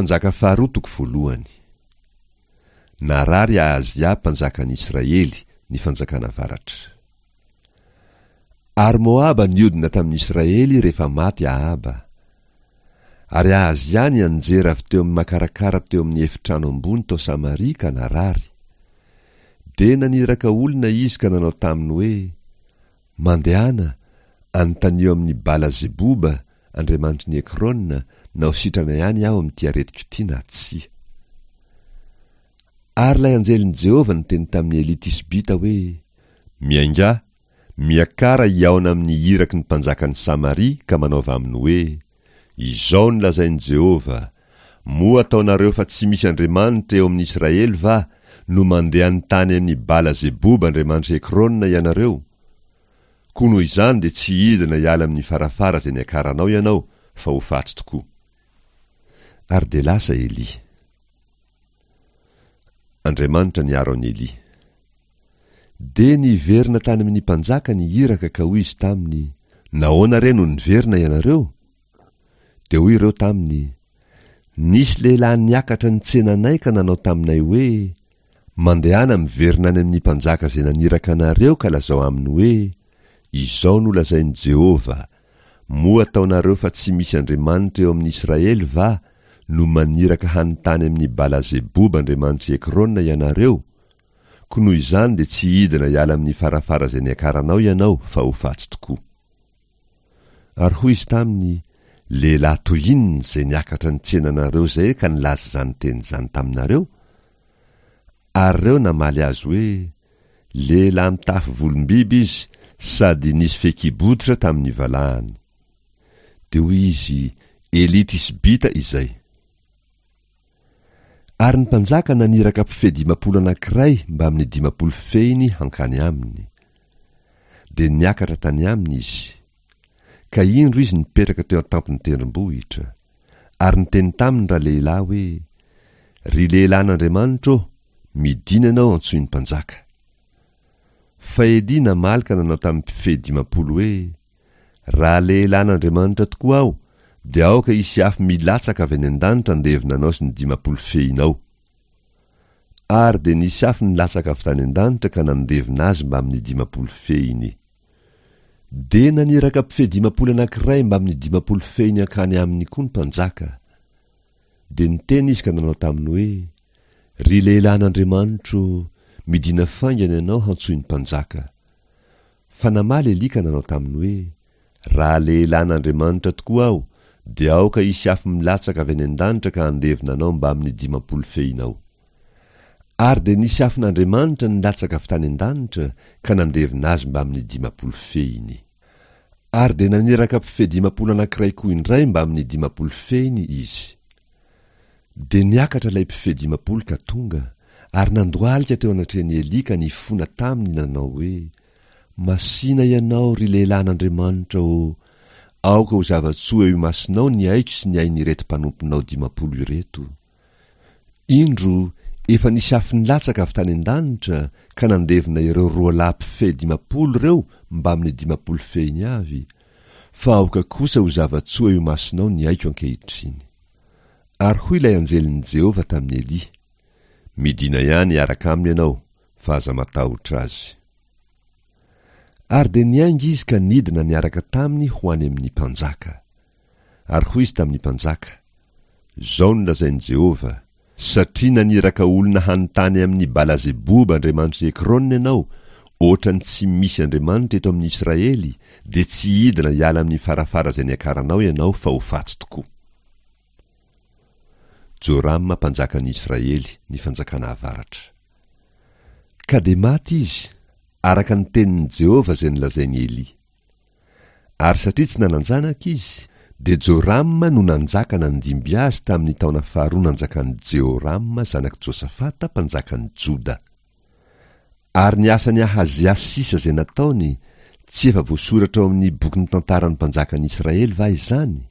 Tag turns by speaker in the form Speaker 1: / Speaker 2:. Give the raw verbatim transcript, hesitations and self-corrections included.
Speaker 1: Mpanjaka faharoa toko voalohany. Narary Ahazia mpanjakan'ny Israely, ny fanjakana avaratra. Ary Moaba niodina tamin'ny Israely rehefa maty Ahaba. Ary Ahazia nianjera avy teo amin'ny makarakara teo amin'ny efitrano ambony tao Samaria ka narary. Dia naniraka olona izy ka nanao taminy hoe, Mandehana, anontanio amin'i Bala-zeboba, andriamanitry ny Ekrona, na ho sitrana ihany aho amin'ity aretiko ity na tsia. Ary ilay anjelin'i Jehovah niteny tamin'i Elia Tisbita hoe, Miaingà, miakara hihaona amin'ny iraky ny mpanjakan'i Samaria ka manaova aminy hoe, Izao no lazain'i Jehovah, Moa ataonareo fa tsy misy Andriamanitra eo amin'ny Israely va no mandeha anontany amin'i Bala-zeboba andriamanitr'i Ekrona ianareo? Koa noho izany dia tsy hidina hiala amin'ny farafara izay niakaranao ianao, fa ho faty tokoa. Ary dia lasa Elia. Andriamanitra niaro an'i Elia. Dia niverina tany amin'ny mpanjaka ny iraka ka hoy izy taminy, Nahoana re no niverina ianareo? Dia hoy ireo taminy, Nisy lehilahy niakatra nitsena anay ka nanao taminay hoe, Mandehana miverina any amin'ny mpanjaka izay naniraka anareo ka lazao aminy hoe, Izao no lazain'i Jehovah, Moa ataonareo fa tsy misy Andriamanitra eo amin'ny Israely va no maniraka hanontany amin'i Bala-zeboba andriamanitr'i Ekrona ianareo? Koa noho izany dia tsy hidina hiala amin'ny farafara izay niakaranao ianao fa ho faty tokoa. Ary hoy izy taminy, Lehilahy toy inona izay niakatra nitsena anareo izay ka nilaza izany teny izany taminareo? Ary ireo namaly azy hoe, Lehilahy mitafy volom-biby izy sady nisy fehikibotra tamin'ny valahany. Dia hoy izy, Elia Tisbita izay. Ary ny mpanjaka naniraka mpifehy dimampolo anankiray mbamin'ny dimampolo fehiny hankany aminy. Dia niakatra tany aminy izy. Ka indro izy nipetraka teo an-tampon'ny tendrombohitra. Ary niteny taminy ralehilahy hoe, Ry lehilahin'Andriamanitra ô, midina ianao antsoin'ny mpanjaka. Fa Elia namaly ka nanao tamin'ny mpifehy dimampolo hoe, Raha lehilahin'Andriamanitra tokoa aho, dia aoka hisy afo milatsaka avy any an-danitra handevona anao sy ny dimampolo fehinao. Ary dia nisy afo nilatsaka avy tany an-danitra ka nandevona azy mbamin'ny dimampolo fehiny. Dia naniraka mpifehy dimampolo anankiray mbamin'ny dimampolo fehiny hankany aminy koa ny mpanjaka. Dia niteny izy ka nanao taminy hoe, Ry lehilahin'Andriamanitro, midina faingana ianao hantsoin'ny mpanjaka. Fa namaly Elia ka nanao taminy hoe, Raha lehilahin'Andriamanitra tokoa aho, dia aoka hisy afo milatsaka avy any an-danitra ka handevona anao mbamin'ny dimampolo fehinao. Ary dia nisy afon'Andriamanitra nilatsaka avy tany an-danitra ka nandevona azy mbamin'ny dimampolo fehiny. Ary dia naniraka mpifehy dimampolo anankiray koa indray mbamin'ny dimampolo fehiny izy. Dia niakatra ilay mpifehy dimampolo ka tonga, ary nandohalika teo anatrehan'i Elia ka nifona taminy nanao hoe, Masìna ianao, ry lehilahin'Andriamanitra ô! Aoka ho zava-tsoa eo imasonao ny aiko sy ny ain'ireto mpanomponao dimampolo ireto. Indro, efa nisy afo nilatsaka avy tany an-danitra ka nandevona ireo roa lahy mpifehy dimampolo ireo mbamin'ny dimampolo fehiny avy, fa aoka kosa ho zava-tsoa eo imasonao ny aiko ankehitriny. Ary hoy ilay anjelin'i Jehovah tamin'i Elia, Midina ihany hiaraka aminy ianao, fa aza matahotra azy. Ary dia niainga izy ka nidina niaraka taminy ho any amin'ny mpanjaka. Ary hoy izy tamin'ny mpanjaka, Izao no lazain'i Jehovah, Satria naniraka olona hanontany amin'i Bala-zeboba andriamanitr'i Ekrona ianao, hoatran'ny tsy misy Andriamanitra eto amin'ny Israely, dia tsy hidina hiala amin'ny farafara izay niakaranao ianao fa ho faty tokoa. Jorama mpanjakan'ny Israely, ny fanjakana avaratra. Ka dia maty izy, araka ny tenin'i Jehovah izay nolazain'i Elia. Ary satria tsy nanan-janaka izy, dia Jorama no nanjaka nandimby azy tamin'ny taona faharoa nanjakan'i Jehorama zanak'i Josafata mpanjakan'i Joda. Ary ny asan'i Ahazia sisa izay nataony, tsy efa voasoratra ao amin'ny bokin'ny tantaran'ny mpanjakan'i Israely va izany?